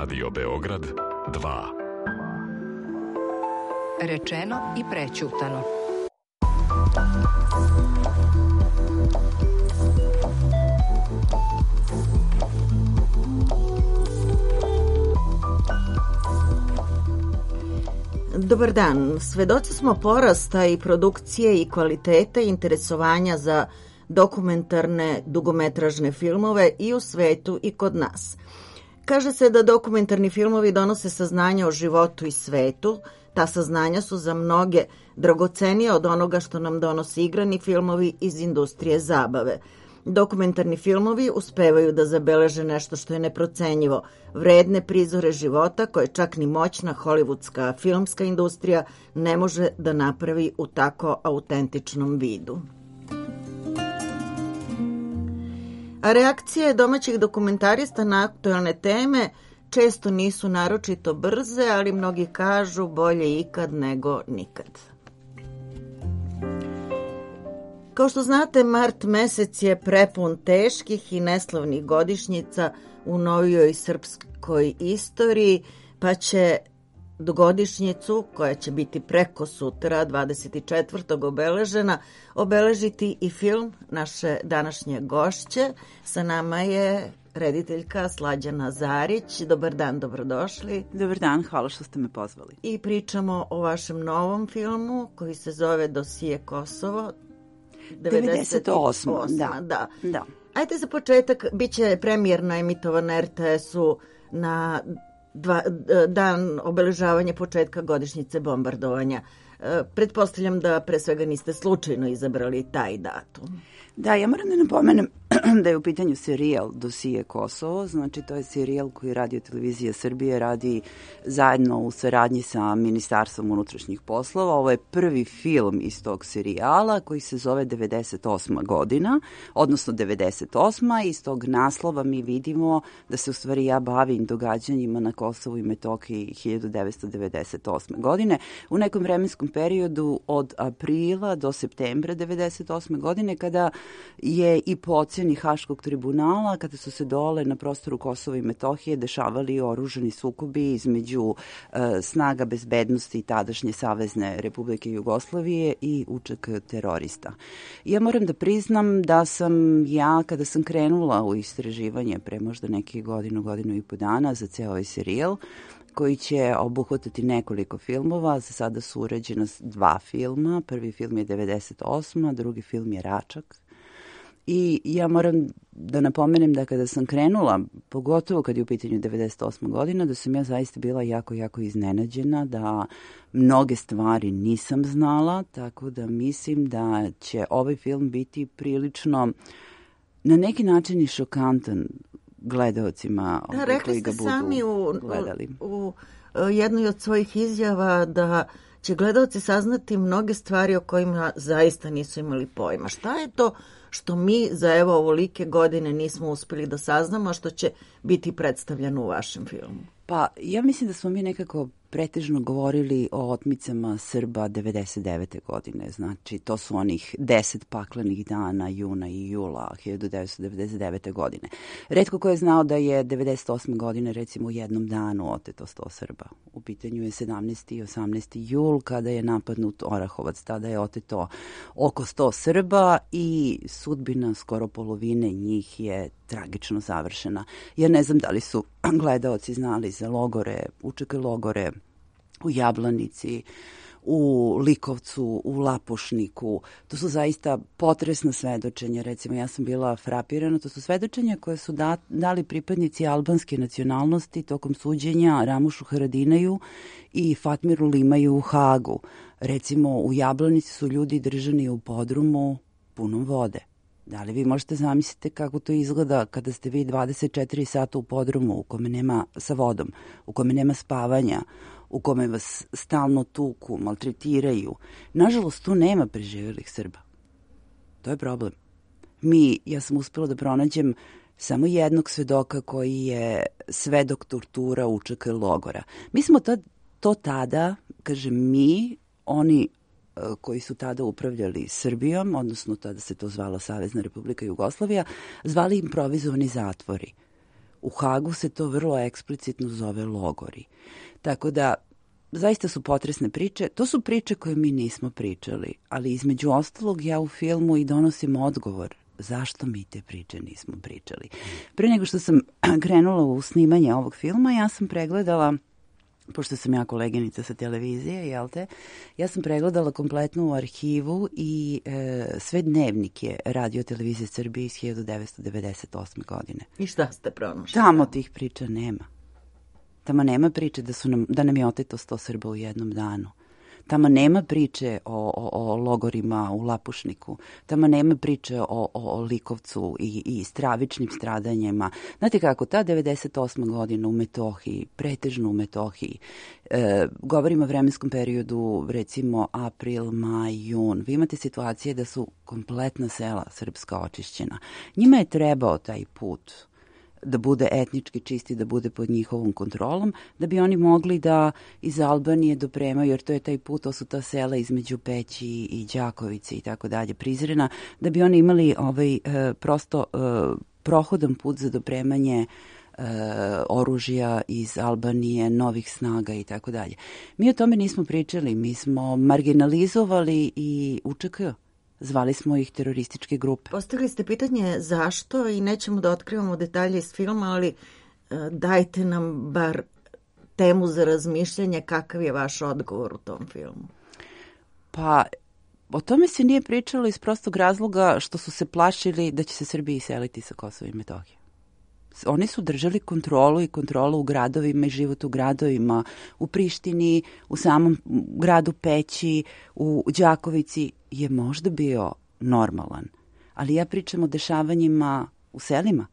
Radio Beograd 2. Rečeno i prećutano. Dobar dan. Svedoci smo porasta i produkcije i kvalitete interesovanja za dokumentarne dugometražne filmove i u svetu i kod nas. Kaže se da dokumentarni filmovi donose saznanja o životu i svetu. Ta saznanja su za mnoge dragocenija od onoga što nam donosi igrani filmovi iz industrije zabave. Dokumentarni filmovi uspevaju da zabeleže nešto što je neprocenjivo, vredne prizore života koje čak ni moćna hollywoodska filmska industrija ne može da napravi u tako autentičnom vidu. A reakcije domaćih dokumentarista na aktuelne teme često nisu naročito brze, ali mnogi kažu bolje ikad nego nikad. Kao što znate, mart mesec je prepun teških i neslavnih godišnjica u novijoj srpskoj istoriji, pa će godišnjicu, koja će biti preko sutra, 24. obeležiti i film naše današnje gošće. Sa nama je rediteljka Slađana Zarić. Dobar dan, dobrodošli. Dobar dan, hvala što ste me pozvali. I pričamo o vašem novom filmu koji se zove Dosije Kosovo. 98. Da. Ajde za početak, bit će premijerno emitovan na RTS-u na dan obeležavanja početka godišnjice bombardovanja. Pretpostavljam da pre svega niste slučajno izabrali taj datum. Da, ja moram da napomenem da je u pitanju serijal Dosije Kosovo, znači to je serijal koji Radio Televizija Srbije radi zajedno u saradnji sa Ministarstvom unutrašnjih poslova. Ovo je prvi film iz tog serijala koji se zove 98. godina, odnosno 98. Iz tog naslova mi vidimo da se u stvari ja bavim događanjima na Kosovu i Metohiji 1998. godine. U nekom vremenskom periodu od aprila do septembra 98. godine kada je i po ocjeni Haškog tribunala, kada su se dole na prostoru Kosova i Metohije dešavali oružani sukobi između snaga bezbednosti tadašnje Savezne Republike Jugoslavije i UČK terorista. Ja moram da priznam da sam ja, kada sam krenula u istraživanje pre možda nekih godinu i po dana za ceo ovaj serijal, koji će obuhvatati nekoliko filmova. Za sada su urađena 2 filma. Prvi film je 98. Drugi film je Račak. I ja moram da napomenem da kada sam krenula, pogotovo kad je u pitanju 98. godina, da sam ja zaista bila jako iznenađena, da mnoge stvari nisam znala, tako da mislim da će ovaj film biti prilično na neki način i šokantan gledaocima koji ga budu gledali. U jednoj od svojih izjava da će gledaoci saznati mnoge stvari o kojima zaista nisu imali pojma. Šta je to što mi za ovolike godine nismo uspeli da saznamo, a što će biti predstavljeno u vašem filmu? Pa ja mislim da smo mi nekako pretežno govorili o otmicama Srba 99. godine. Znači, to su onih 10 paklenih dana juna i jula 1999. godine. Retko ko je znao da je 98. godine, recimo, u jednom danu oteto 100 Srba. U pitanju je 17. i 18. jul, kada je napadnut Orahovac. Tada je oteto oko 100 Srba i sudbina skoro polovine njih je tragično završena. Ja ne znam da li su gledaoci znali za logore, UČK logore u Jablanici, u Likovcu, u Lapušniku. To su zaista potresna svedočenja. Recimo, ja sam bila frapirana. To su svedočenja koje su dali pripadnici albanske nacionalnosti tokom suđenja Ramušu Haradinaju i Fatmiru Limaju u Hagu. Recimo, u Jablanici su ljudi držani u podrumu punom vode. Da li vi možete zamisliti kako to izgleda kada ste vi 24 sata u podrumu u kome nema sa vodom, u kome nema spavanja, u kome vas stalno tuku, maltretiraju. Nažalost, tu nema preživelih Srba. To je problem. Ja sam uspela da pronađem samo jednog svedoka koji je svedok tortura UČK logora. Mi smo to tada, kažem mi, oni koji su tada upravljali Srbijom, odnosno tada se to zvala Savezna Republika Jugoslavija, zvali improvizovani zatvori. U Hagu se to vrlo eksplicitno zove logori. Tako da, zaista su potresne priče. To su priče koje mi nismo pričali, ali između ostalog ja u filmu i donosim odgovor zašto mi te priče nismo pričali. Pre nego što sam krenula u snimanje ovog filma, ja sam pregledala, pošto sam ja koleginica sa televizije, jel te, ja sam pregledala kompletnu arhivu i sve dnevnike Radio televizije Srbije iz 1998. godine. I šta ste pronašli? Tamo tih priča nema. Tamo nema priče da nam je oteto 100 Srba u jednom danu. Tamo nema priče o logorima u Lapušniku. Tamo nema priče o Likovcu i stravičnim stradanjima. Znate kako, ta 98. godina u Metohiji, pretežno u Metohiji, govorimo o vremenskom periodu, recimo april, maj, jun. Vi imate situacije da su kompletna sela srpska očišćena. Njima je trebao taj put da bude etnički čisti, da bude pod njihovom kontrolom, da bi oni mogli da iz Albanije dopremaju, jer to je taj put, to su ta sela između Peći i Đakovice i tako dalje, Prizrena, da bi oni imali prosto prohodan put za dopremanje oružja iz Albanije, novih snaga i tako dalje. Mi o tome nismo pričali, mi smo marginalizovali i UČK. Zvali smo ih terorističke grupe. Postavili ste pitanje zašto i nećemo da otkrivamo detalje iz filma, ali dajte nam bar temu za razmišljanje, kakav je vaš odgovor u tom filmu. Pa, o tome se nije pričalo iz prostog razloga što su se plašili da će se Srbi iseliti sa Kosova i Metohije. Oni su držali kontrolu u gradovima i život u gradovima, u Prištini, u samom gradu Peći, u Đakovici je možda bio normalan. Ali ja pričam o dešavanjima u selima,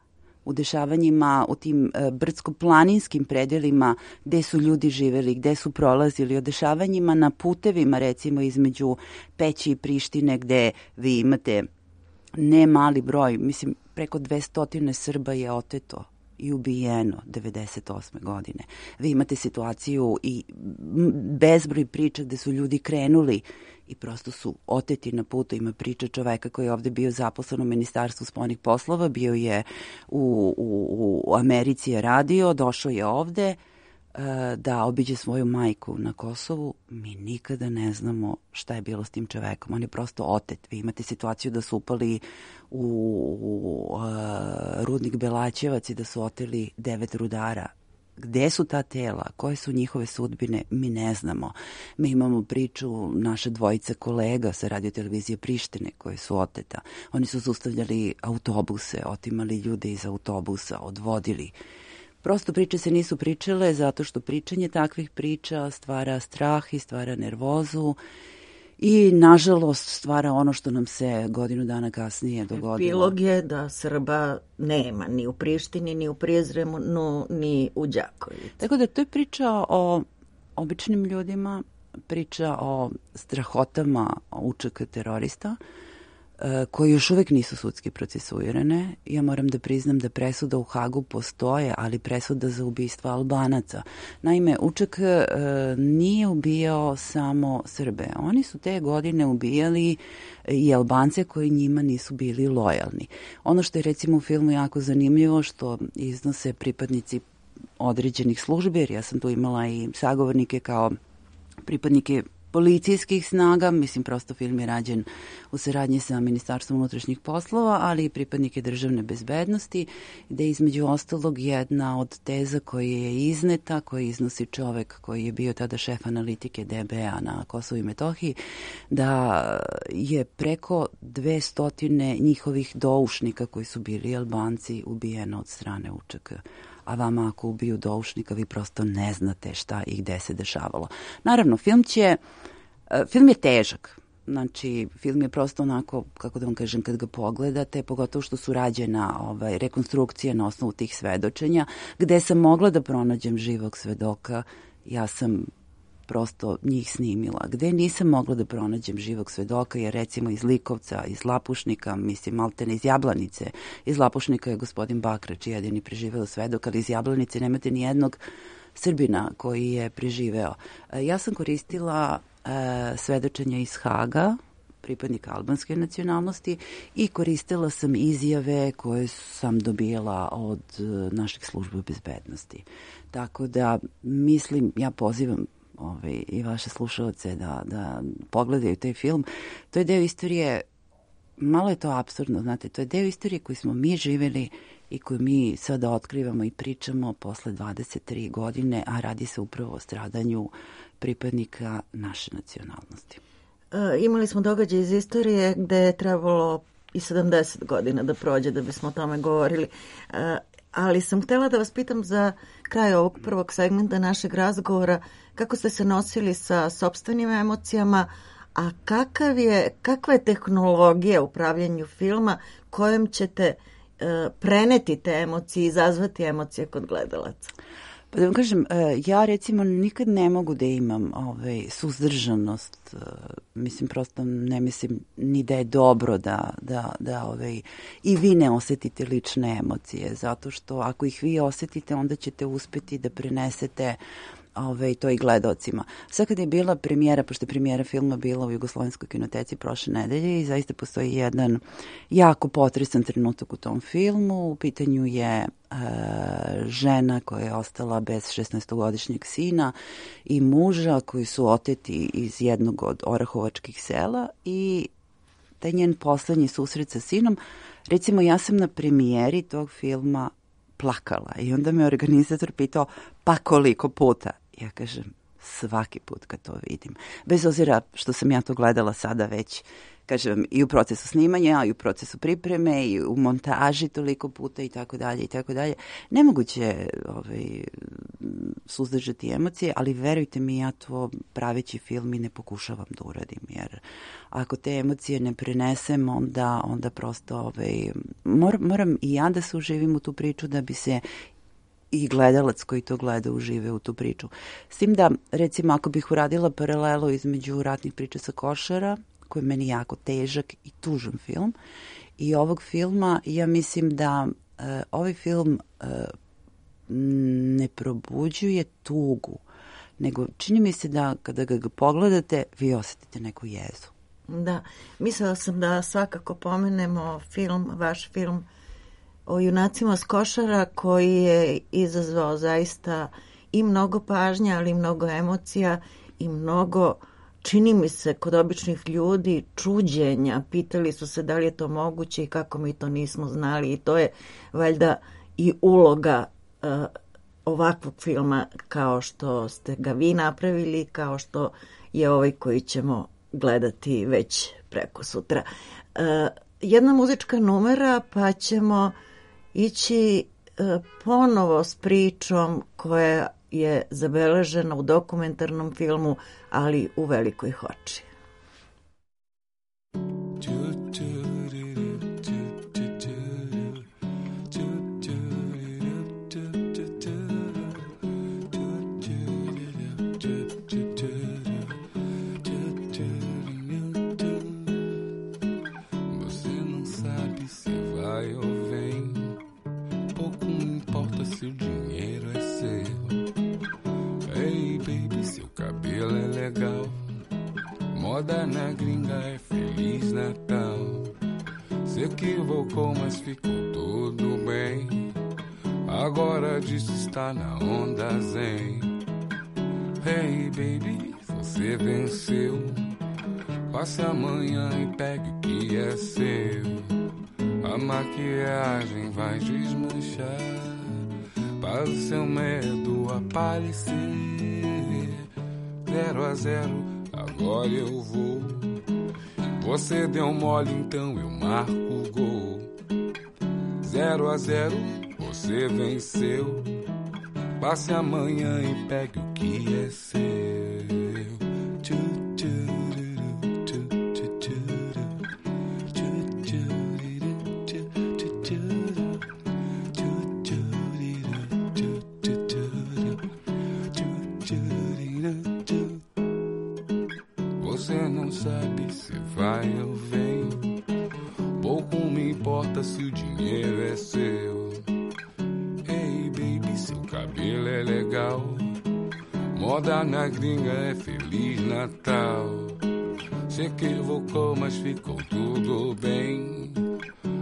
u dešavanjima u tim brdsko-planinskim predelima gde su ljudi živeli, gde su prolazili, o dešavanjima na putevima, recimo između Peći i Prištine, gde vi imate ne mali broj, mislim preko 200 Srba je oteto i ubijeno 98. godine. Vi imate situaciju i bezbroj priča gde su ljudi krenuli i prosto su oteti na putu. Ima priča čoveka koji je ovde bio zaposlen u Ministarstvu spoljnih poslova, bio je u Americi je radio, došao je ovde da obiđe svoju majku na Kosovu. Mi nikada ne znamo šta je bilo s tim čovekom. On je prosto otet. Vi imate situaciju da su upali u rudnik Belaćevac i da su oteli 9 rudara. Gde su ta tela? Koje su njihove sudbine? Mi ne znamo. Mi imamo priču naše dvojice kolega sa Radio televizije Prištine koje su oteta. Oni su zaustavljali autobuse, otimali ljude iz autobusa, odvodili. Prosto priče se nisu pričale zato što pričanje takvih priča stvara strah i stvara nervozu i nažalost stvara ono što nam se godinu dana kasnije dogodilo. Epilog je da Srba nema ni u Prištini, ni u Prizrenu, ni u Đakovici. Tako da to je priča o običnim ljudima, priča o strahotama UČK terorista, koji još uvek nisu sudski procesuirane. Ja moram da priznam da presuda u Hagu postoje, ali presuda za ubistva Albanaca. Naime, UČK nije ubijao samo Srbe. Oni su te godine ubijali i Albance koji njima nisu bili lojalni. Ono što je recimo u filmu jako zanimljivo, što iznose pripadnici određenih službi, jer ja sam tu imala i sagovornike kao pripadnike policijskih snaga, mislim prosto film je rađen u saradnji sa Ministarstvom unutrašnjih poslova, ali i pripadnike državne bezbednosti, gde između ostalog jedna od teza koja je izneta, koji iznosi čovek koji je bio tada šef analitike DBA na Kosovu i Metohiji, da je preko 200 njihovih doušnika koji su bili Albanci ubijeno od strane UČK. A vama ako ubiju doušnika, vi prosto ne znate šta i gde se dešavalo. Naravno, film je težak. Znači, film je prosto onako, kako da vam kažem, kad ga pogledate, pogotovo što su rađena rekonstrukcije na osnovu tih svedočenja, gde sam mogla da pronađem živog svedoka, ja sam prosto njih snimila. Gde nisam mogla da pronađem živog svedoka, jer recimo iz Likovca, iz Lapušnika, mislim, maltene iz Jablanice. Iz Lapušnika je gospodin Bakrač jedini preživeo svedok, ali iz Jablanice nemate ni jednog Srbina koji je preživeo. Ja sam koristila svedočenja iz Haga, pripadnika albanske nacionalnosti i koristila sam izjave koje sam dobila od naših služba bezbednosti. Tako da mislim, ja pozivam i vaše slušalce da pogledaju taj film. To je deo istorije, malo je to apsurdno, znate, to je deo istorije koju smo mi živjeli i koju mi sada otkrivamo i pričamo posle 23 godine, a radi se upravo o stradanju pripadnika naše nacionalnosti. Imali smo događaj iz istorije gde je trebalo i 70 godina da prođe da bismo o tome govorili. Ali sam htjela da vas pitam za kraj ovog prvog segmenta našeg razgovora kako ste se nosili sa sopstvenim emocijama, a kakva je tehnologija u pravljenju filma kojom ćete preneti te emocije, izazvati emocije kod gledalaca? Pa da vam kažem, ja recimo nikad ne mogu da imam suzdržanost, mislim prosto ne mislim ni da je dobro da i vi ne osetite lične emocije, zato što ako ih vi osetite onda ćete uspeti da prenesete to i gledalcima. Sad kad je bila premijera, pošto je premijera filma bila u Jugoslovenskoj kinoteci prošle nedelje i zaista postoji jedan jako potresan trenutak u tom filmu. U pitanju je žena koja je ostala bez 16-godišnjeg sina i muža koji su oteti iz jednog od orahovačkih sela i taj njen poslednji susret sa sinom. Recimo, ja sam na premijeri tog filma plakala i onda me organizator pitao pa koliko puta? Ja kažem svaki put kad to vidim. Bez obzira što sam ja to gledala sada već, kažem, i u procesu snimanja, i u procesu pripreme, i u montaži toliko puta i tako dalje i tako dalje. Nemoguće suzdržati emocije, ali verujte mi, ja to praveći film i ne pokušavam da uradim, jer ako te emocije ne prenesem, onda prosto moram i ja da se uživim u tu priču da bi se i gledalac koji to gleda užive u tu priču. S tim da, recimo, ako bih uradila paralelu između Ratnih priča sa Košara, koji je meni jako težak i tužan film, i ovog filma, ja mislim da ovaj film ne probuđuje tugu, nego čini mi se da kada ga pogledate, vi osetite neku jezu. Da, mislila sam da svakako pomenemo vaš film o junacima s Košara, koji je izazvao zaista i mnogo pažnja, ali i mnogo emocija i mnogo, čini mi se, kod običnih ljudi čuđenja. Pitali su se da li je to moguće i kako mi to nismo znali, i to je valjda i uloga ovakvog filma kao što ste ga vi napravili, kao što je ovaj koji ćemo gledati već preko sutra. Jedna muzička numera, pa ćemo ići ponovo s pričom koja je zabeležena u dokumentarnom filmu, ali u Velikoj Hoči. Moda na gringa é Feliz Natal. Se equivocou, mas ficou tudo bem. Agora disso está na onda zen. Hey baby, você venceu. Passe amanhã e pegue o que é seu. A maquiagem vai desmanchar para o seu medo aparecer. 0-0, agora eu vou. Você deu mole, então eu marco o gol. 0-0, você venceu. Passe amanhã e pegue o que é seu. Você não sabe se vai ou vem. Pouco me importa se o dinheiro é seu. Hey baby, seu cabelo é legal. Moda na gringa é Feliz Natal. Se equivocou, mas ficou tudo bem.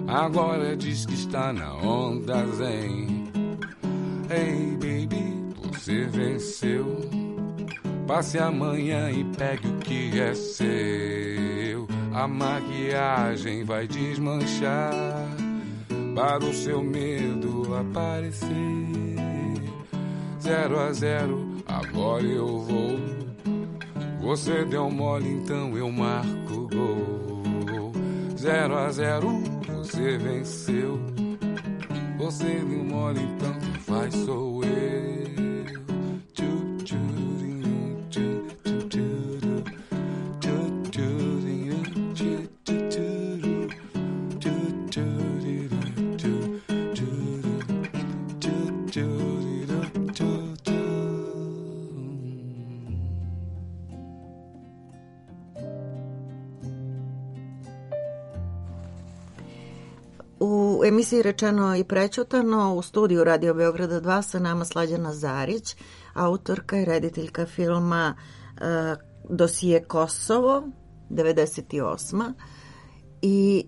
Agora diz que está na onda zen. Hey baby, você venceu. Passe amanhã e pegue o que é seu. A maquiagem vai desmanchar para o seu medo aparecer. 0-0, agora eu vou. Você deu mole, então eu marco o gol. 0-0, você venceu. Você deu mole, então quem faz sou eu. U emisiji Rečeno i prećutano u studiju Radio Beograda 2 sa nama Slađana Zarić, autorka i rediteljka filma Dosije Kosovo, 98. I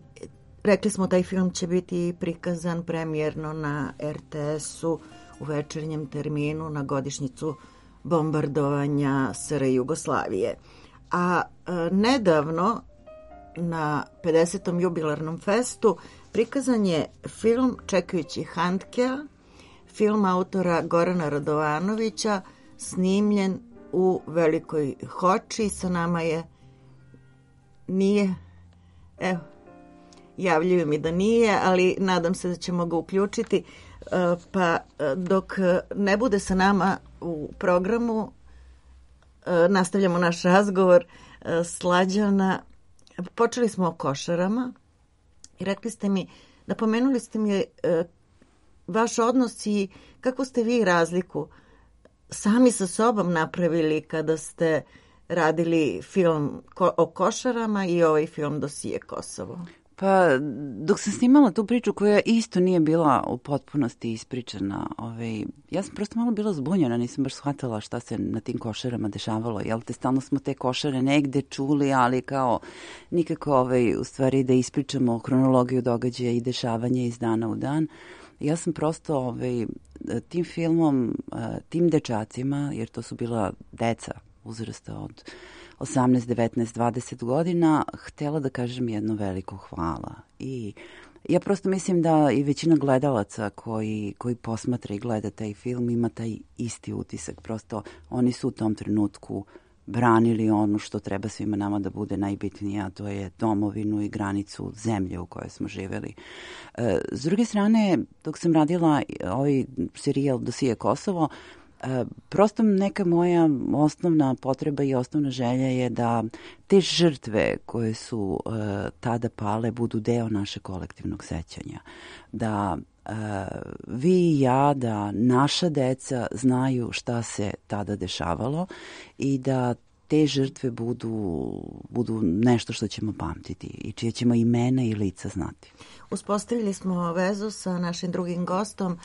rekli smo taj film će biti prikazan premijerno na RTS-u u večernjem terminu na godišnjicu bombardovanja SR Jugoslavije. A nedavno na 50. jubilarnom festu prikazan je film Čekajući Handkea, film autora Gorana Radovanovića, snimljen u Velikoj Hoči. Sa nama javljaju mi da nije, ali nadam se da ćemo ga uključiti. Pa dok ne bude sa nama u programu, nastavljamo naš razgovor. Slađana, počeli smo o košarama i rekli ste mi, napomenuli ste mi vaš odnos i kako ste vi razliku sami sa sobom napravili kada ste radili film o košarama i ovaj film Dosije Kosovo. Pa, dok sam snimala tu priču koja isto nije bila u potpunosti ispričana, ja sam prosto malo bila zbunjena, nisam baš shvatala šta se na tim košarama dešavalo. Jel te, stalno smo te košare negde čuli, ali kao nikako u stvari da ispričamo hronologiju događaja i dešavanja iz dana u dan. Ja sam prosto tim filmom, tim dečacima, jer to su bila deca uzrasta od 18, 19, 20 godina, htjela da kažem jedno veliko hvala. I ja prosto mislim da i većina gledalaca koji posmatra i gleda taj film ima taj isti utisak. Prosto oni su u tom trenutku branili ono što treba svima nama da bude najbitnije, a to je domovinu i granicu zemlje u kojoj smo živjeli. S druge strane, dok sam radila ovaj serijal Dosije Kosovo, prosto neka moja osnovna potreba i osnovna želja je da te žrtve koje su tada pale budu deo našeg kolektivnog sećanja. Da vi i ja, da naša deca znaju šta se tada dešavalo i da te žrtve budu nešto što ćemo pamtiti i čije ćemo imena i lica znati. Uspostavili smo vezu sa našim drugim gostom.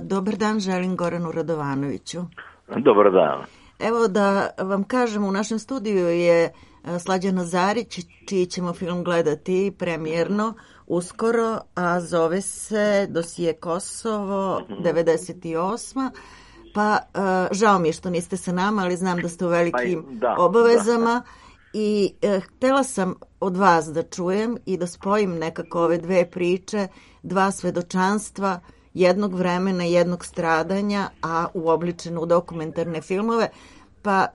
Dobar dan, želim Goranu Radovanoviću. Dobar dan. Evo da vam kažem, u našem studiju je Slađana Zarić, čiji ćemo film gledati premijerno uskoro, a zove se Dosije Kosovo, 98. Pa žao mi je što niste sa nama, ali znam da ste u velikim obavezama. I htjela sam od vas da čujem i da spojim nekako ove dve priče, dva svedočanstva, jednog vremena, jednog stradanja, a uobličeno u dokumentarne filmove. Pa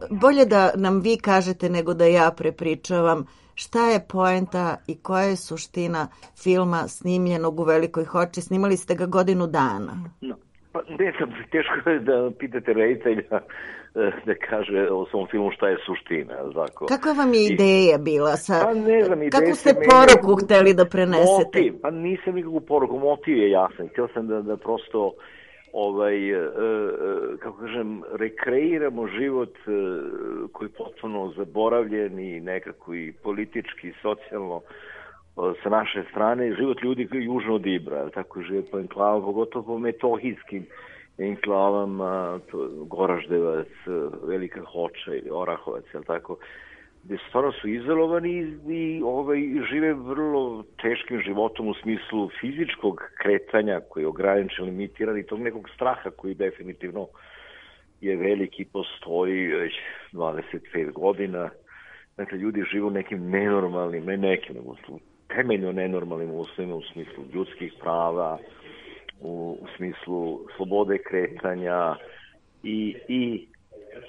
bolje da nam vi kažete nego da ja prepričavam šta je poenta i koja je suština filma snimljenog u Velikoj Hoči. Snimali ste ga godinu dana. No. Pa ne znam, teško je da pitate reditelja da kaže o svom filmu šta je suština. Tako. Kakva vam je ideja bila? Pa ne znam, kako ste poruku hteli da prenesete? Motiv, pa nisam nikakvu poruku, motiv je jasan. Htio sam da prosto kako kažem, rekreiramo život koji je potpuno zaboravljen i nekako i politički i socijalno sa naše strane, život ljudi koji je južno od Ibra, tako žive po enklavama, pogotovo po metohijskim enklavama, Goraždevac, Velika Hoča ili Orahovac, tako. gde stvarno su izolovani i žive vrlo teškim životom u smislu fizičkog kretanja koji je ograničen, limitiran i tog nekog straha koji definitivno je veliki, postoji već 25 godina. Dakle, ljudi žive u nekim nenormalnim, temeljno nenormalnim uslovima u smislu ljudskih prava, u smislu slobode kretanja i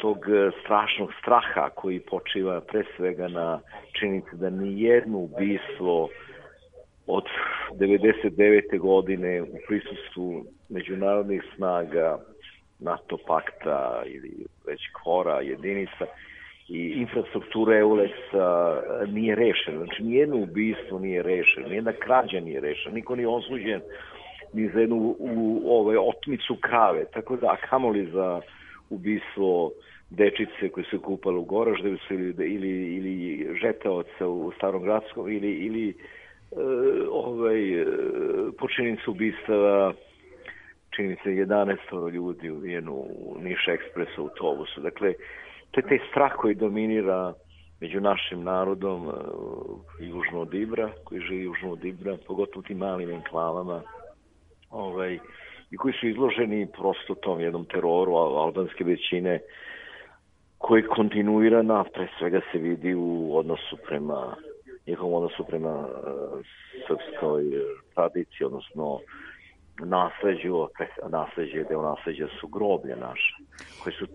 tog strašnog straha koji počiva pre svega na činjenici da ni jedno ubistvo od 99. godine u prisustvu međunarodnih snaga, NATO pakta ili već KFOR-a, jedinica i infrastruktura EULEX-a nije rešena. Znači, nijedno ubistvo nije rešeno, nijedna krađa nije rešena, niko nije osuđen ni za jednu otmicu krave, tako da, a kamoli za ubistvo dečice koje se kupale u Goraždevcu ili žeteoca u Starom Gradskom ili počinjenica ubistava čini se 11 ljudi ubijeno u Niš Ekspres autobusu. Dakle, to je taj strah koji dominira među našim narodom južno od Ibra, koji živi južno od Ibra, pogotovo tim malim enklavama, i koji su izloženi prosto tom jednom teroru albanske većine koji kontinuirana, pre svega se vidi u odnosu prema njihovom odnosu prema srpskoj tradiciji, odnosno nasleđe, deo nasleđa su groblje naše, koje su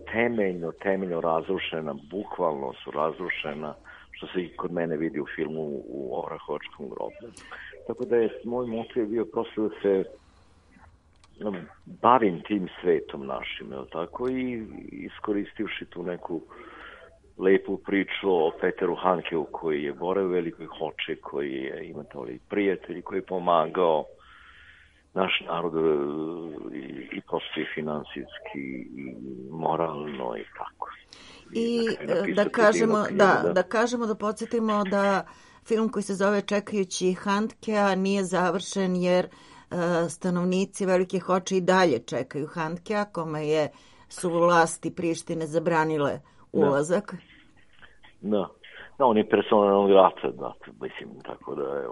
temeljno razrušena, bukvalno su razrušena, što se i kod mene vidi u filmu u Orahovačkom groblju. Tako da je moj motiv bio prosto da se bavim tim svetom našim, tako, i iskoristivši tu neku lepu priču o Peteru Handkeu koji je boravio u Velikoj Hoči, koji je imao prijatelj, koji je pomagao naš narod i prosto i finansijski i moralno i tako. I da kažemo, da podsjetimo da film koji se zove Čekajući Handkea nije završen jer stanovnici Velike Hoče i dalje čekaju Handkea, kome su vlasti Prištine zabranile ulazak. Da, on je persona non grata, mislim, tako da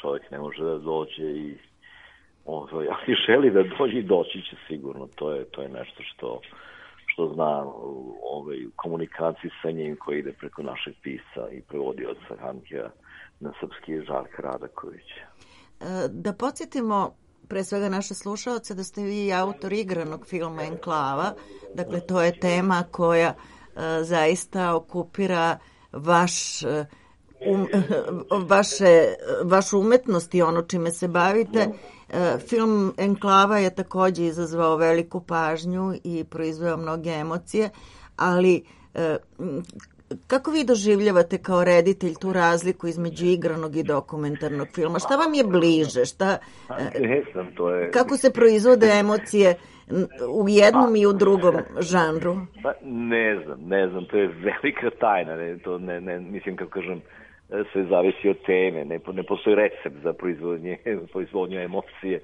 čovjek ne može da dođe i ali želi da dođe i doći će sigurno. To je nešto što znam u komunikaciji sa njim koji ide preko našeg pisa i prevodioca Handkea na srpski je Žarka Radaković. Da podsjetimo pre svega naše slušaoce da ste vi autor igranog filma Enklava. Dakle, to je tema koja zaista okupira vašu umetnost i ono čime se bavite. Film Enklava je takođe izazvao veliku pažnju i proizveo mnoge emocije, ali kako vi doživljavate kao reditelj tu razliku između igranog i dokumentarnog filma? Šta vam je bliže? Kako se proizvode emocije u jednom i u drugom žanru? Ne znam, to je velika tajna. Mislim, kako kažem, sve zavisi od teme. Ne postoji recept za proizvodnju emocije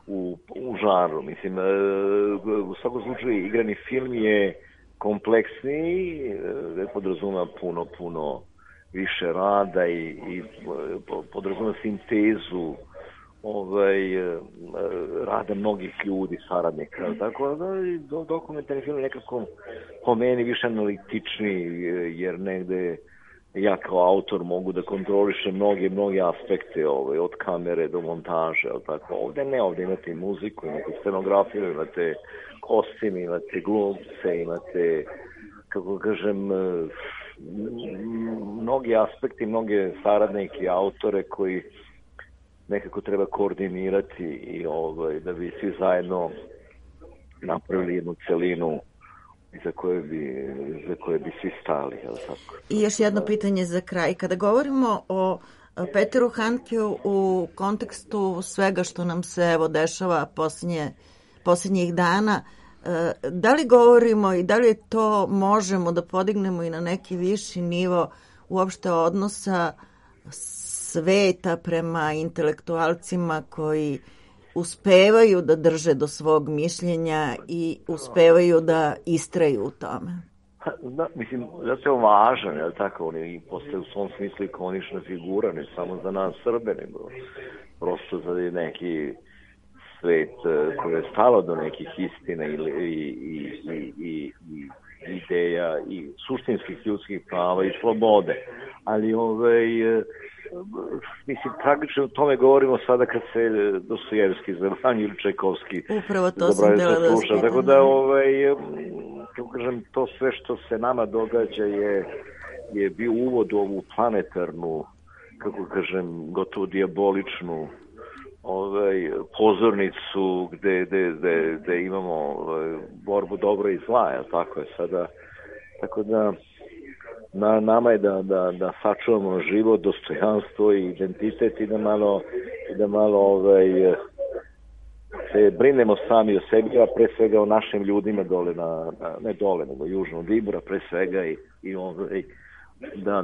u žanru. Mislim, u svakom slučaju igrani film je kompleksniji, podrazuma puno više rada i podrazuma sintezu rada mnogih ljudi, saradnika. Tako da dokumentarni film je nekako po meni više analitičniji, jer negde ja kao autor mogu da kontrolišem mnoge aspekte od kamere do montaže. Tako. Ovde imate i muziku, imate scenografiju, imate kostim, imate glumce, imate, kako kažem, mnogi aspekti, mnoge saradnike, autore koji nekako treba koordinirati i da bi svi zajedno napravili jednu celinu za koje bi svi stali. Tako. I još jedno pitanje za kraj. Kada govorimo o Peteru Handkeu u kontekstu svega što nam se dešava posljednjih dana, da li govorimo i da li to možemo da podignemo i na neki viši nivo uopšte odnosa sveta prema intelektualcima koji uspevaju da drže do svog mišljenja i uspevaju da istraju u tome? Da, mislim, zato je važan, je tako, on je postaje u svom smislu ikonična figura, ne samo za nas Srbe, nego prosto za neki svet koji je stalo do nekih istina i ideja i suštinskih ljudskih prava i slobode. Ali mislim, tragično o tome govorimo sada kad se Dostojevski zabrani ili Čajkovski upravo to sam dela da sluša. Tako da, kako kažem, to sve što se nama događa je bio uvod u ovu planetarnu, kako kažem, gotovo dijaboličnu pozornicu gde imamo borbu dobra i zla, je tako je sada. Tako da na nama je da sačuvamo život, dostojanstvo i identitet i da malo se brinemo sami o sebi, a pre svega o našim ljudima dole ne dole, nego južno od Ibra, pre svega i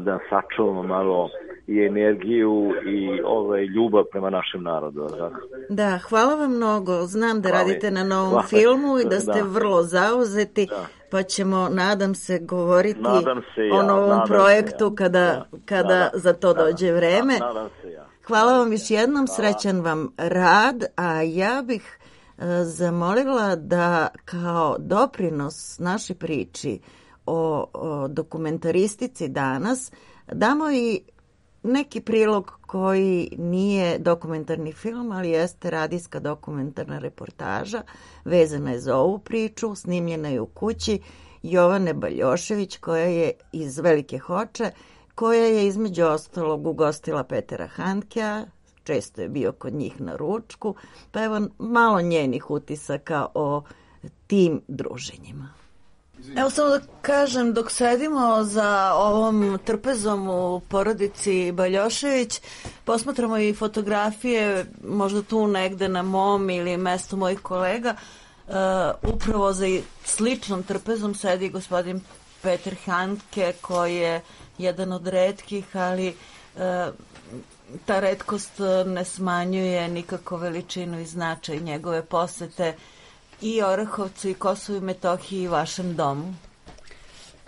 da sačuvamo malo i energiju i ljubav prema našem narodu. Da, hvala vam mnogo. Znam da radite na novom filmu i da ste vrlo zauzeti, pa ćemo, nadam se, govoriti o novom projektu kada za to dođe vreme. Hvala vam još jednom, srećan vam rad, a ja bih zamolila da kao doprinos našoj priči o dokumentaristici danas damo i neki prilog koji nije dokumentarni film, ali jeste radijska dokumentarna reportaža, vezana je za ovu priču, snimljena je u kući Jovane Baljošević, koja je iz Velike Hoče, koja je između ostalog ugostila Petera Handkea, često je bio kod njih na ručku, pa evo malo njenih utisaka o tim druženjima. Evo samo da kažem, dok sedimo za ovom trpezom u porodici Baljošević, posmatramo i fotografije, možda tu negde na mom ili mestu mojih kolega, upravo za sličnom trpezom sedi gospodin Peter Handke, koji je jedan od retkih, ali ta retkost ne smanjuje nikako veličinu i značaj njegove posete i Orahovcu i Kosovu i Metohiji i vašem domu.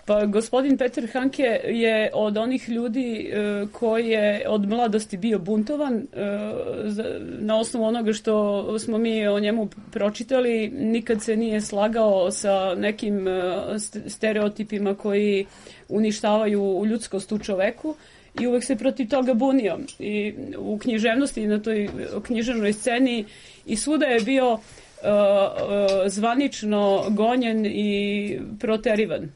Pa gospodin Peter Handke je od onih ljudi koji je od mladosti bio buntovan. Na osnovu onoga što smo mi o njemu pročitali, nikad se nije slagao sa nekim stereotipima koji uništavaju ljudskost u čoveku i uvek se protiv toga bunio. I u književnosti i na toj književnoj sceni i svuda je bio zvanično gonjen i proterivan.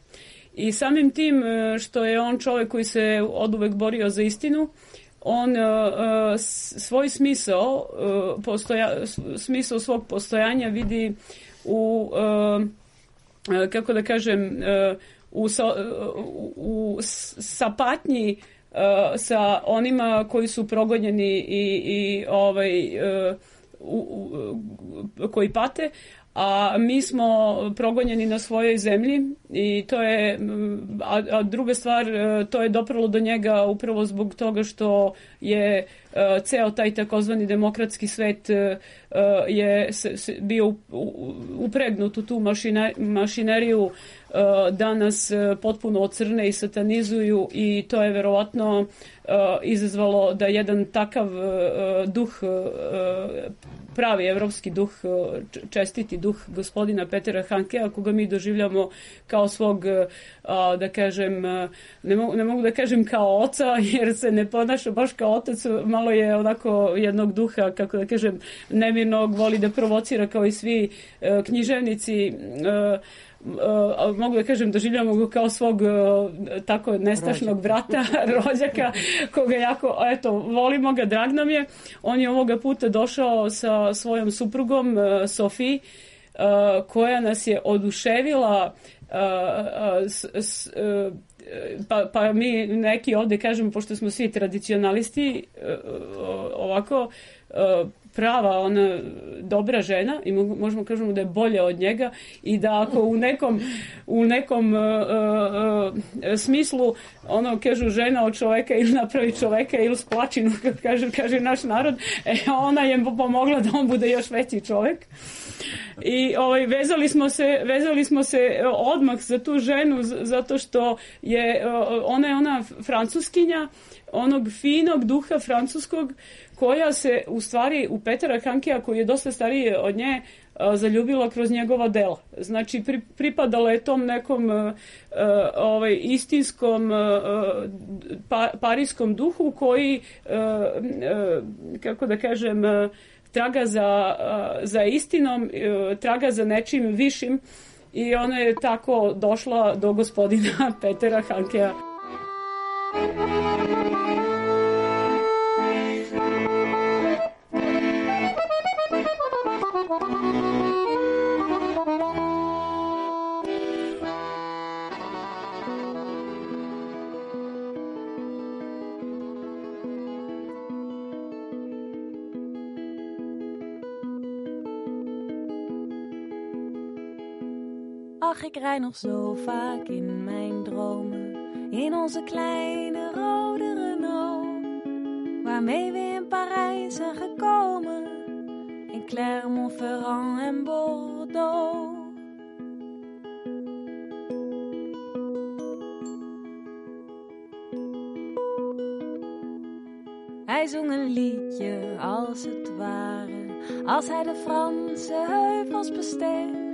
I samim tim što je on čovjek koji se oduvek borio za istinu, on svoj smisao svog postojanja vidi u, kako da kažem, u sapatnji sa onima koji su progonjeni i koji pate, a mi smo progonjeni na svojoj zemlji i to je, a druga stvar, to je dopralo do njega upravo zbog toga što je ceo taj takozvani demokratski svet je bio upregnut u tu mašineriju da nas potpuno ocrne i satanizuju i to je verovatno izazvalo da jedan takav duh, pravi evropski duh, čestiti duh gospodina Petera Handkea, koga mi doživljamo kao svog, da kažem, ne mogu da kažem kao oca, jer se ne ponaša baš kao otac, malo je onako jednog duha, kako da kažem, nemirnog, voli da provocira kao i svi književnici, mogu da kažem, doživljamo ga kao svog tako nestašnog brata, rođaka, koga jako, eto, volimo ga, drag nam je. On je ovoga puta došao sa svojom suprugom Sofiji, koja nas je oduševila, pa mi neki ovde kažemo, pošto smo svi tradicionalisti, ovako, prava, ona dobra žena i možemo kažemo da je bolja od njega i da ako u nekom smislu ono kažu žena od čoveka ili napravi čoveka ili splačinu, kad kaže naš narod, ona je pomogla da on bude još veći čovek. I vezali smo se odmah za tu ženu zato što je ona francuskinja onog finog duha francuskog koja se u stvari u Petera Handkea, koji je dosta stariji od nje, zaljubila kroz njegova dela. Znači pripadala je tom nekom istinskom parijskom duhu koji kako da kažem traga za istinom, traga za nečim višim i ona je tako došla do gospodina Petera Handkea. Ach, ik rij nog zo vaak in mijn dromen, in onze kleine rode Renault, waarmee we in Parijs zijn gekomen, in Clermont-Ferrand en Bordeaux. Hij zong een liedje als het ware, als hij de Franse heuvels besteeg.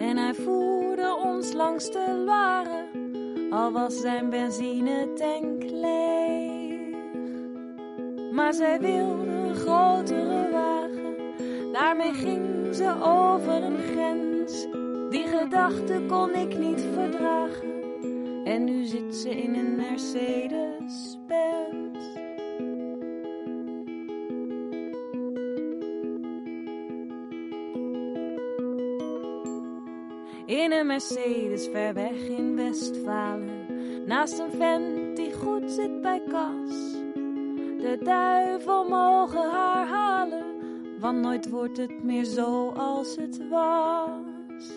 En hij voerde ons langs de Loire, al was zijn benzinetank leeg. Maar zij wilde een grotere wagen, daarmee ging ze over een grens. Die gedachte kon ik niet verdragen, en nu zit ze in een Mercedes-Benz. In een Mercedes ver weg in Westfalen, naast een vent die goed zit bij kas. De duivel mogen haar halen, want nooit wordt het meer zo als het was.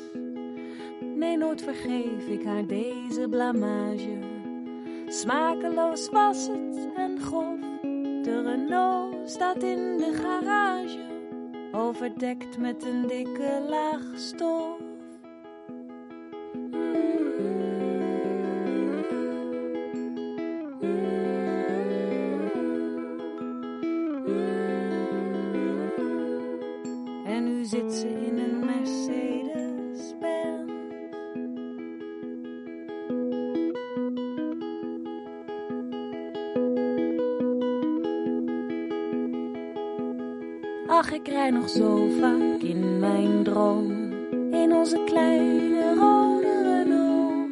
Nee, nooit vergeef ik haar deze blamage. Smakeloos was het en grof. De Renault staat in de garage, overdekt met een dikke laag stof. Zit ze in een Mercedes-Benz. Ach, ik rij nog zo vaak in mijn dromen, in onze kleine rode Renault,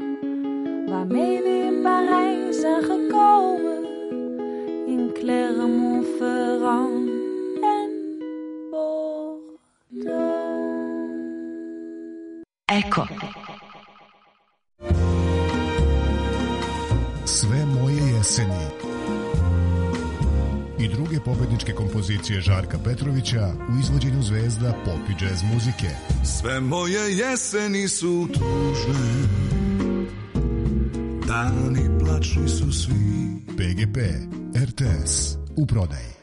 waarmee we in Parijs zijn gekomen, in Clermont-Ferrand. Eko. Sve moje jeseni i druge pobedničke kompozicije Žarka Petrovića u izvođenju zvezda pop i džez muzike. Sve moje jeseni su tužne, dani plačni su svi. PGP, RTS, u prodaji.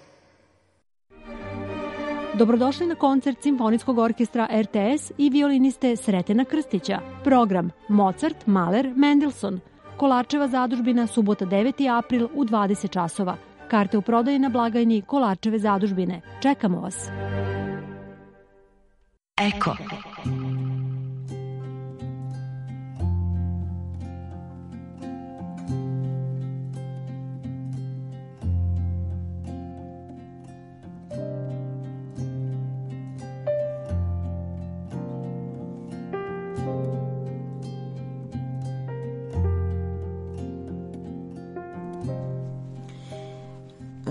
Dobrodošli na koncert Simfonijskog orkestra RTS i violiniste Sretena Krstića. Program Mozart, Mahler, Mendelssohn. Kolarčeva zadužbina, subota 9. april u 20 časova. Karte u prodaji na blagajni Kolarčeve zadužbine. Čekamo vas. Eko.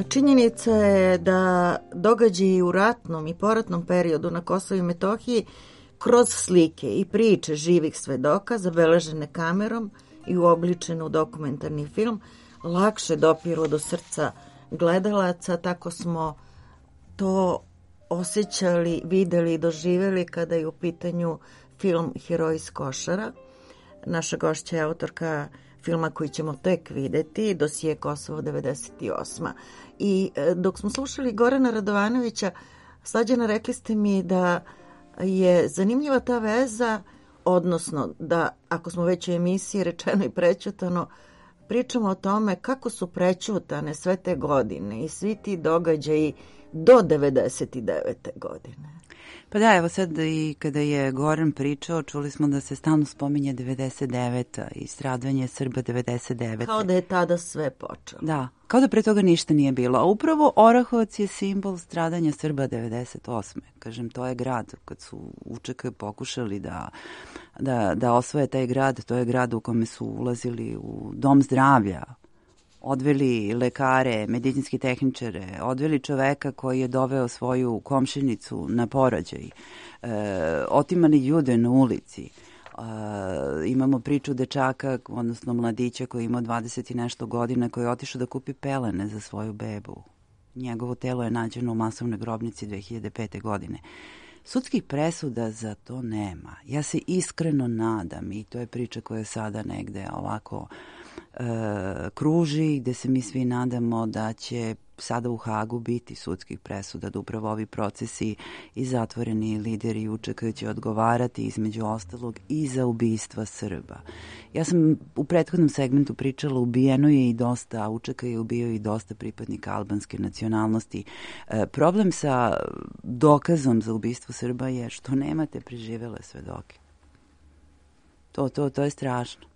Činjenica je da događaji u ratnom i poratnom periodu na Kosovu i Metohiji kroz slike i priče živih svedoka zabeležene kamerom i uobličene u dokumentarni film lakše dopiru do srca gledalaca. Tako smo to osjećali, videli i doživjeli kada je u pitanju film Heroji iz Košara. Naša gošća je autorka filma koji ćemo tek videti, Dosije Kosovo 98. I dok smo slušali Gorana Radovanovića, Slađana, rekli ste mi da je zanimljiva ta veza, odnosno da ako smo već u emisiji rečeno i prećutano, pričamo o tome kako su prećutane sve te godine i svi ti događaji do 99. godine. Pa da, evo sad i kada je Goran pričao, čuli smo da se stalno spominje 99. i stradanje Srba 99. Kao da je tada sve počelo. Da, kao da pre toga ništa nije bilo. A upravo Orahovac je simbol stradanja Srba 98. Kažem, to je grad, kad su UČK pokušali da osvoje taj grad, to je grad u kome su ulazili u dom zdravlja, odveli lekare, medicinski tehničare, odveli čoveka koji je doveo svoju komšinicu na porođaj, otimali ljude na ulici. Imamo priču dečaka, odnosno mladića koji ima 20 i nešto godina, koji je otišao da kupi pelene za svoju bebu. Njegovo telo je nađeno u masovnoj grobnici 2005. godine. Sudskih presuda za to nema. Ja se iskreno nadam, i to je priča koja sada negde ovako kruži, gde se mi svi nadamo da će sada u Hagu biti sudskih presuda, da upravo ovi procesi i zatvoreni lideri UČK će odgovarati između ostalog i za ubistva Srba. Ja sam u prethodnom segmentu pričala, ubijeno je i dosta, UČK je ubio i dosta pripadnika albanske nacionalnosti. Problem sa dokazom za ubistvo Srba je što nemate preživele svedoke. To je strašno.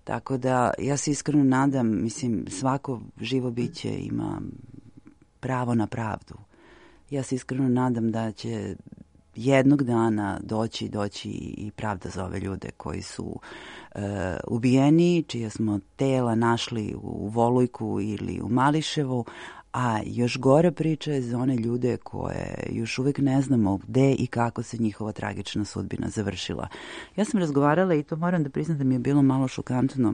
Tako da ja se iskreno nadam, mislim, svako živo biće ima pravo na pravdu. Ja se iskreno nadam da će jednog dana doći i pravda za ove ljude koji su ubijeni, čija smo tela našli u Volujku ili u Mališevu, a još gore priča je za one ljude koje još uvek ne znamo gde i kako se njihova tragična sudbina završila. Ja sam razgovarala, i to moram da priznam da mi je bilo malo šokantno,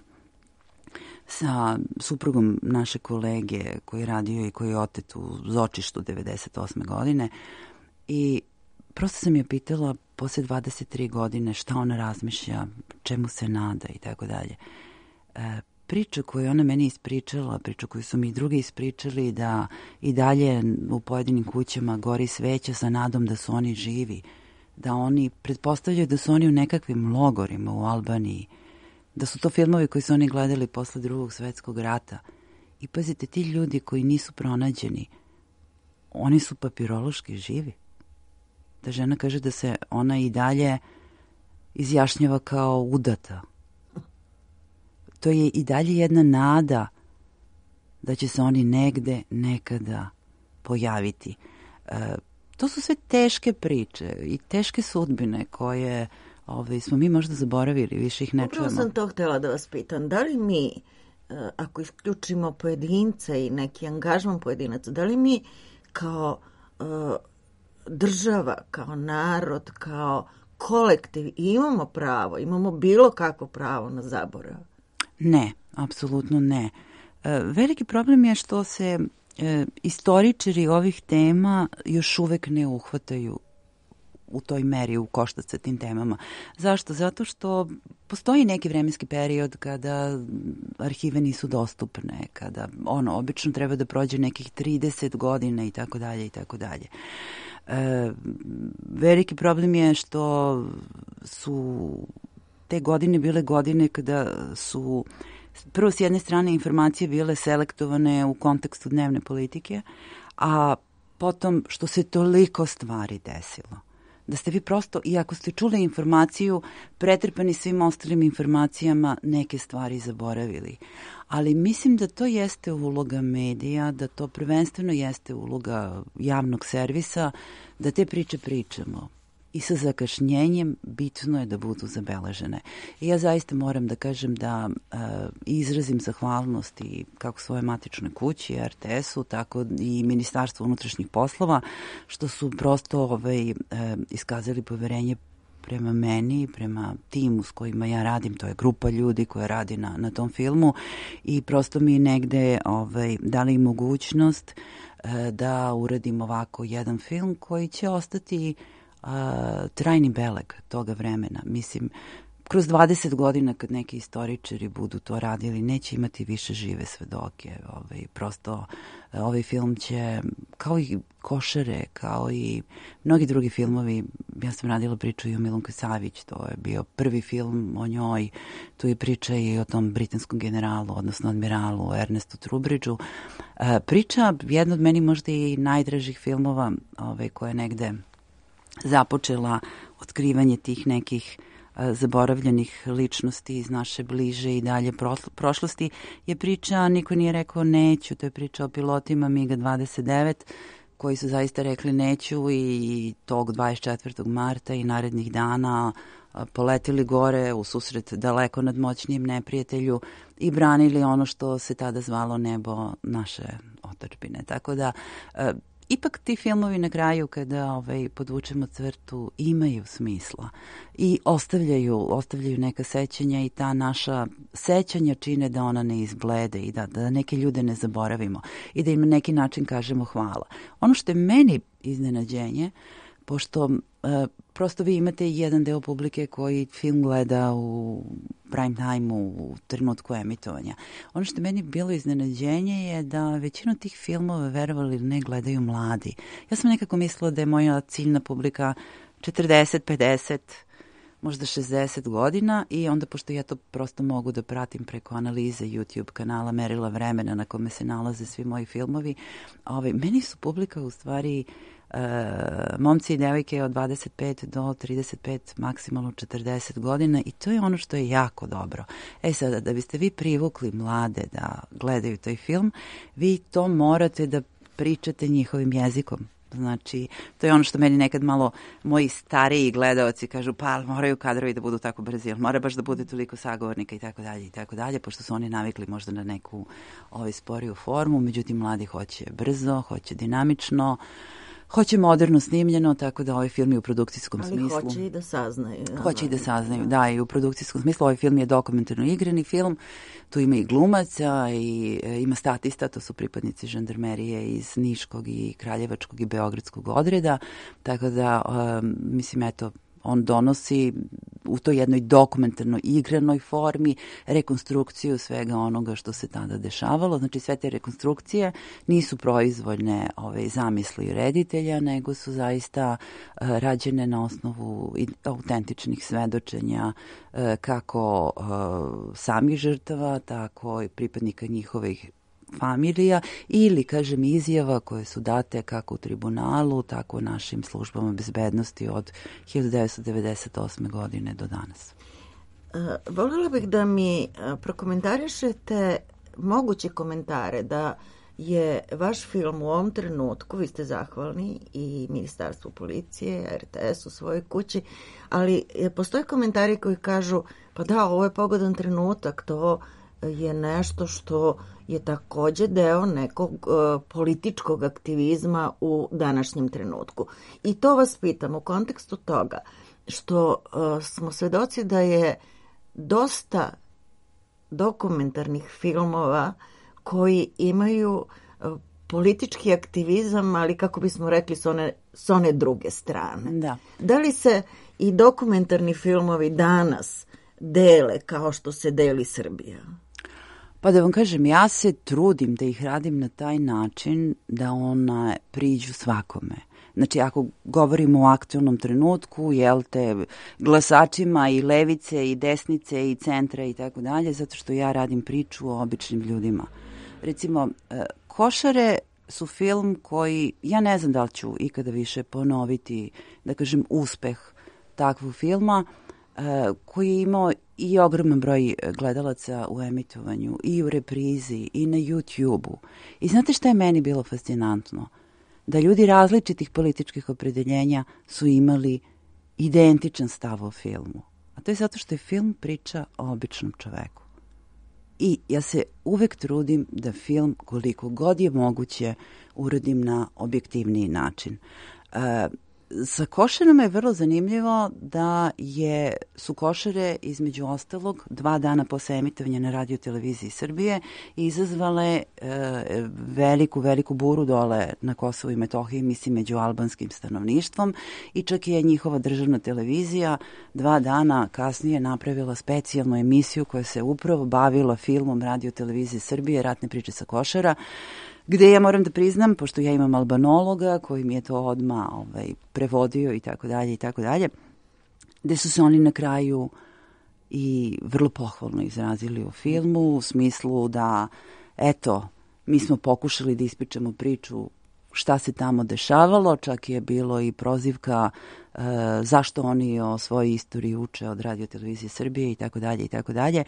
sa suprugom naše kolege koji je radio i koji je otet u Zočištu 98. godine, i prosto sam je pitala posle 23 godine šta ona razmišlja, čemu se nada i tako dalje. Priča koju ona meni ispričala, priča koju su mi drugi ispričali, da i dalje u pojedinim kućama gori sveća sa nadom da su oni živi, da oni pretpostavljaju da su oni u nekakvim logorima u Albaniji, da su to filmovi koji su oni gledali posle Drugog svetskog rata. I pazite, ti ljudi koji nisu pronađeni, oni su papirološki živi. Da žena kaže da se ona i dalje izjašnjava kao udata. To je i dalje jedna nada da će se oni negde, nekada pojaviti. To su sve teške priče i teške sudbine koje smo mi možda zaboravili, više ih ne čujemo. Upravo sam to htjela da vas pitam. Da li mi, ako isključimo pojedince i neki angažman pojedinaca, da li mi kao država, kao narod, kao kolektiv imamo pravo, imamo bilo kakvo pravo na zaborav? Ne, apsolutno ne. Veliki problem je što se istoričari ovih tema još uvek ne uhvataju u toj meri u koštac sa tim temama. Zašto? Zato što postoji neki vremenski period kada arhive nisu dostupne, kada obično treba da prođe nekih 30 godina i tako dalje i tako dalje. Veliki problem je što su te godine bile godine kada su prvo s jedne strane informacije bile selektovane u kontekstu dnevne politike, a potom što se toliko stvari desilo. Da ste vi prosto, i ako ste čuli informaciju, pretrpani svim ostalim informacijama, neke stvari zaboravili. Ali mislim da to jeste uloga medija, da to prvenstveno jeste uloga javnog servisa, da te priče pričamo. I sa zakašnjenjem bitno je da budu zabeležene. I ja zaista moram da kažem da izrazim zahvalnost i kako svoje matičnoj kući, RTS-u, tako i Ministarstvu unutrašnjih poslova, što su prosto iskazali poverenje prema meni, prema timu s kojima ja radim, to je grupa ljudi koja radi na tom filmu, i prosto mi negde dali mogućnost da uradim ovako jedan film koji će ostati trajni beleg toga vremena. Mislim, kroz 20 godina kad neki istoričari budu to radili, neće imati više žive svedoke. Prosto ovaj film će, kao i Košare, kao i mnogi drugi filmovi, ja sam radila priču i o Milunki Savić, to je bio prvi film o njoj, tu je priča i o tom britanskom generalu, odnosno admiralu Ernestu Trubridžu. Priča, jedna od meni možda i najdražih filmova koja je negde započela otkrivanje tih nekih zaboravljenih ličnosti iz naše bliže i dalje prošlosti, je priča Niko nije rekao neću, to je priča o pilotima MiG-29 koji su zaista rekli neću i tog 24. marta i narednih dana poletili gore u susret daleko nadmoćnijem neprijatelju i branili ono što se tada zvalo nebo naše otadžbine. Tako da ipak ti filmovi na kraju kada podvučemo crtu imaju smisla i ostavljaju neka sećanja i ta naša sećanja čine da ona ne izblede i da neke ljude ne zaboravimo i da im na neki način kažemo hvala. Ono što je meni iznenađenje, pošto prosto vi imate jedan deo publike koji film gleda u prime time-u, u trenutku emitovanja. Ono što je meni bilo iznenađenje je da većinu tih filmova, verovali ili ne, gledaju mladi. Ja sam nekako mislila da je moja ciljna publika 40, 50, možda 60 godina i onda, pošto ja to prosto mogu da pratim preko analize YouTube kanala Merila vremena na kome se nalaze svi moji filmovi, meni su publika u stvari momci i devojke od 25 do 35, maksimalno 40 godina i to je ono što je jako dobro. Sada, da biste vi privukli mlade da gledaju taj film, vi to morate da pričate njihovim jezikom. Znači, to je ono što meni nekad malo moji stariji gledaoci kažu, pa moraju kadrovi da budu tako brzi, ali mora baš da bude toliko sagovornika i tako dalje, pošto su oni navikli možda na neku sporiju formu, međutim mladi hoće brzo, hoće dinamično, hoće moderno snimljeno, tako da ovaj film je u produkcijskom smislu. Ali hoće i da saznaju. Hoće i da saznaju, da, i u produkcijskom smislu. Ovaj film je dokumentarno igrani film, tu ima i glumaca i ima statista, to su pripadnici žandarmerije iz Niškog i Kraljevačkog i Beogradskog odreda, tako da, mislim, eto, on donosi u toj jednoj dokumentarno igranoj formi rekonstrukciju svega onoga što se tada dešavalo. Znači, sve te rekonstrukcije nisu proizvoljne zamisli reditelja, nego su zaista rađene na osnovu autentičnih svedočenja kako samih žrtava, tako i pripadnika njihovih familija ili, kažem, izjava koje su date kako u tribunalu, tako u našim službama bezbednosti od 1998. godine do danas. Voljela bih da mi prokomentarišete moguće komentare da je vaš film u ovom trenutku, vi ste zahvalni i Ministarstvu policije, RTS u svojoj kući, ali postoje komentari koji kažu, pa da, ovo je pogodan trenutak, to je nešto što je takođe deo nekog političkog aktivizma u današnjem trenutku. I to vas pitam u kontekstu toga što smo svedoci da je dosta dokumentarnih filmova koji imaju politički aktivizam, ali kako bismo rekli s one druge strane. Da. Da li se i dokumentarni filmovi danas dele kao što se deli Srbija? Pa da vam kažem, ja se trudim da ih radim na taj način da ona priđu svakome. Znači, ako govorimo o aktualnom trenutku, glasačima i levice i desnice i centra i tako dalje, zato što ja radim priču o običnim ljudima. Recimo, Košare su film koji, ja ne znam da li ću ikada više ponoviti, da kažem, uspeh takvog filma, koji je imao i ogroman broj gledalaca u emitovanju i u reprizi i na YouTube-u. I znate šta je meni bilo fascinantno? Da ljudi različitih političkih opredeljenja su imali identičan stav o filmu. A to je zato što je film priča o običnom čoveku. I ja se uvek trudim da film, koliko god je moguće, uradim na objektivniji način. Sa Košarama je vrlo zanimljivo da su Košare između ostalog 2 dana posle emitovanja na Radio televiziji Srbije izazvale veliku buru dole na Kosovu i Metohiji, mislim među albanskim stanovništvom, i čak je njihova državna televizija 2 dana kasnije napravila specijalnu emisiju koja se upravo bavila filmom Radio televizije Srbije Ratne priče sa Košara, gde ja moram da priznam, pošto ja imam albanologa koji mi je to odmah prevodio i tako dalje, gde su se oni na kraju i vrlo pohvalno izrazili o filmu, u smislu da, eto, mi smo pokušali da ispričamo priču šta se tamo dešavalo, čak je bilo i prozivka zašto oni o svojoj istoriji uče od Radio televizije Srbije i tako dalje.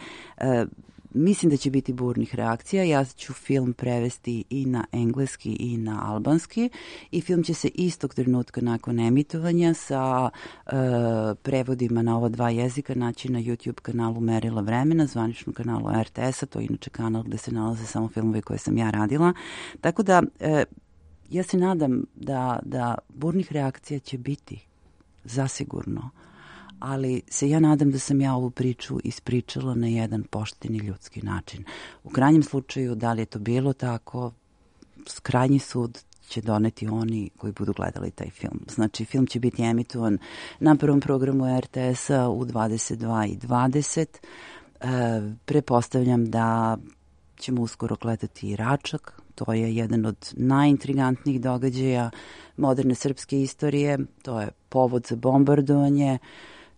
Mislim da će biti burnih reakcija. Ja ću film prevesti i na engleski i na albanski i film će se istog trenutka nakon emitovanja sa prevodima na ova 2 jezika naći na YouTube kanalu Merila vremena, zvaničnom kanalu RTS-a, to je inače kanal gde se nalaze samo filmovi koje sam ja radila. Tako da ja se nadam da burnih reakcija će biti, zasigurno. Ali se ja nadam da sam ja ovu priču ispričala na jedan pošteni ljudski način. U krajnjem slučaju, da li je to bilo tako, krajnji sud će doneti oni koji budu gledali taj film. Znači, film će biti emitovan na prvom programu RTS-a u 22:20. Prepostavljam da ćemo uskoro gledati i Račak. To je jedan od najintrigantnijih događaja moderne srpske istorije. To je povod za bombardovanje.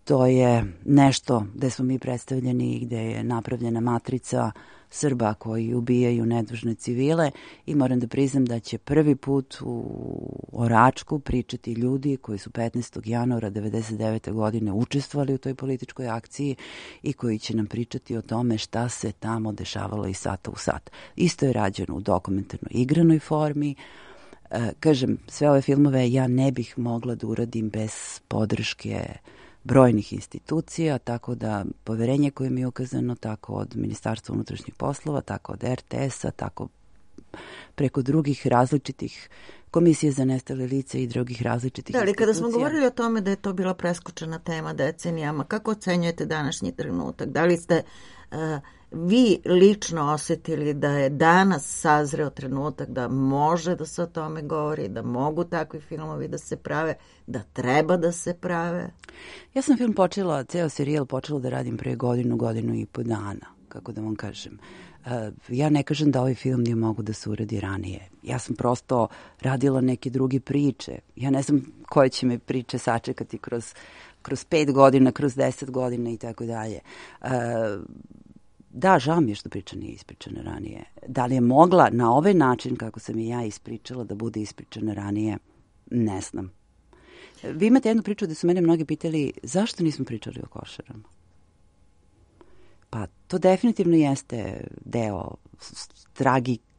To je nešto gde smo mi predstavljeni, gde je napravljena matrica Srba koji ubijaju nedužne civile i moram da priznam da će prvi put o Račku pričati ljudi koji su 15. januara 1999. godine učestvovali u toj političkoj akciji i koji će nam pričati o tome šta se tamo dešavalo iz sata u sat. Isto je rađeno u dokumentarno igranoj formi. Kažem, sve ove filmove ja ne bih mogla da uradim bez podrške brojnih institucija, tako da poverenje koje mi je ukazano, tako od Ministarstva unutrašnjih poslova, tako od RTS-a, tako preko drugih različitih komisije za nestale lice i drugih različitih institucija. Da, ali kada smo govorili o tome da je to bila preskočena tema decenijama, kako ocenjujete današnji trenutak? Da li ste vi lično osetili da je danas sazreo trenutak da može da se o tome govori, da mogu takvi filmovi da se prave, da treba da se prave? Ja sam film ceo serijal počela da radim pre godinu i po dana, kako da vam kažem. Ja ne kažem da ovaj film nije mogu da se uradi ranije. Ja sam prosto radila neke druge priče. Ja ne znam koje će me priče sačekati kroz 5 godina, kroz 10 godina i tako dalje. Da, žao mi je što priča nije ispričana ranije. Da li je mogla na ovaj način kako sam i ja ispričala da bude ispričana ranije, ne znam. Vi imate jednu priču da su mene mnogi pitali zašto nismo pričali o Košarama. Pa to definitivno jeste deo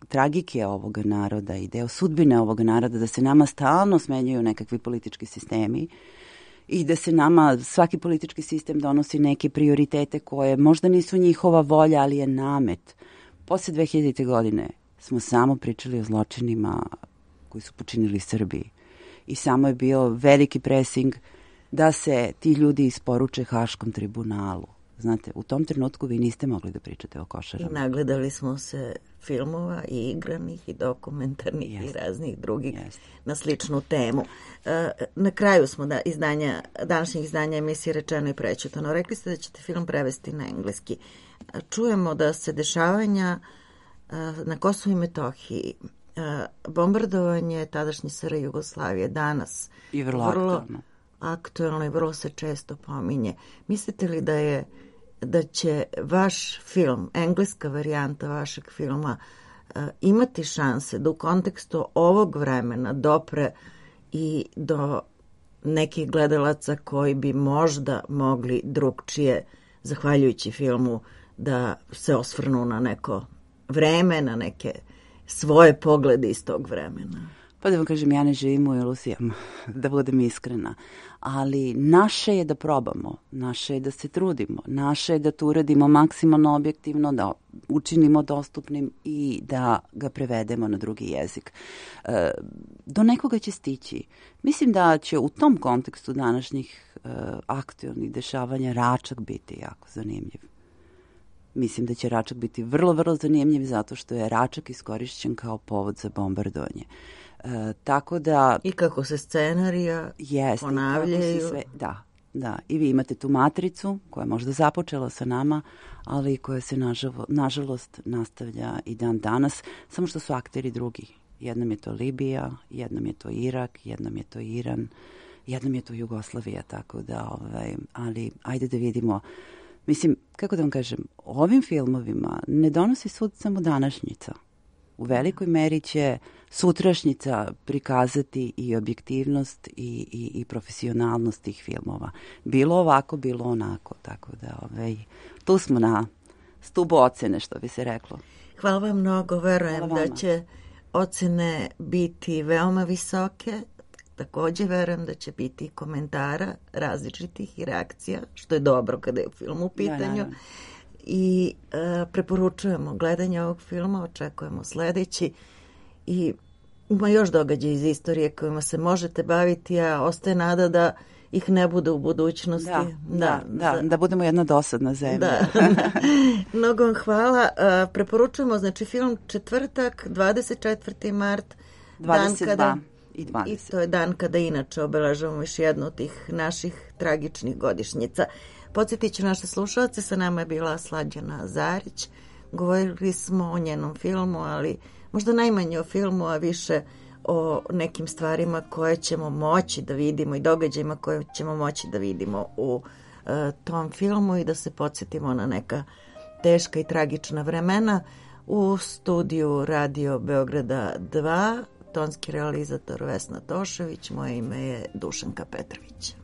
tragike ovoga naroda i deo sudbine ovoga naroda, da se nama stalno smenjuju nekakvi politički sistemi i da se nama svaki politički sistem donosi neke prioritete koje možda nisu njihova volja, ali je namet. Posle 2000. godine smo samo pričali o zločinima koji su počinili Srbiji i samo je bio veliki presing da se ti ljudi isporuče Haškom tribunalu. Znate, u tom trenutku vi niste mogli da pričate o Košarama. I nagledali smo se filmova i igranih i dokumentarnih i raznih drugih na sličnu temu. Na kraju smo današnjih izdanja emisije Rečeno i prećutano. Rekli ste da ćete film prevesti na engleski. Čujemo da se dešavanja na Kosovu i Metohiji, bombardovanje tadašnje SR Jugoslavije danas i vrlo aktuelno i vrlo se često pominje. Mislite li da će vaš film, engleska varijanta vašeg filma, imati šanse da u kontekstu ovog vremena dopre i do nekih gledalaca koji bi možda mogli drugčije, zahvaljujući filmu, da se osvrnu na neko vreme, na neke svoje poglede iz tog vremena? Pa da vam kažem, ja ne živim u iluzijama, da budem iskrena, ali naše je da probamo, naše je da se trudimo, naše je da to uradimo maksimalno objektivno, da učinimo dostupnim i da ga prevedemo na drugi jezik. Do nekoga će stići. Mislim da će u tom kontekstu današnjih aktualnih dešavanja Račak biti jako zanimljiv. Mislim da će Račak biti vrlo, vrlo zanimljiv zato što je Račak iskorišćen kao povod za bombardovanje. Tako da... I kako se scenarija ponavljaju. Da. I vi imate tu matricu koja je možda započela sa nama, ali koja se nažalost nastavlja i dan danas, samo što su akteri drugi. Jednom je to Libija, jednom je to Irak, jednom je to Iran, jednom je to Jugoslavija, tako da, ali ajde da vidimo. Mislim, kako da vam kažem, ovim filmovima ne donosi sud samo današnjica. U velikoj meri će sutrašnjica prikazati i objektivnost i profesionalnost tih filmova. Bilo ovako, bilo onako. Tako da tu smo na stubu ocene, što bi se reklo. Hvala vam mnogo. Verujem da će ocene biti veoma visoke. Također verujem da će biti komentara različitih i reakcija, što je dobro kada je film u pitanju. I preporučujemo gledanje ovog filma, očekujemo sledeći i ima još događaja iz istorije kojima se možete baviti, a ostaje nada da ih ne bude u budućnosti. Da budemo jedna dosadna zemlja. Mnogo vam hvala. Preporučujemo, znači, film četvrtak, 24. mart, 22. I 20. I to je dan kada inače obeležavamo još jednu od tih naših tragičnih godišnjica. Podsjetit ću naše slušalce, sa nama je bila Slađana Zarić. Govorili smo o njenom filmu, ali možda najmanje o filmu, a više o nekim stvarima koje ćemo moći da vidimo i događajima koje ćemo moći da vidimo u tom filmu i da se podsjetimo na neka teška i tragična vremena. U studiju Radio Beograda 2, tonski realizator Vesna Tošević, moje ime je Dušanka Petrović.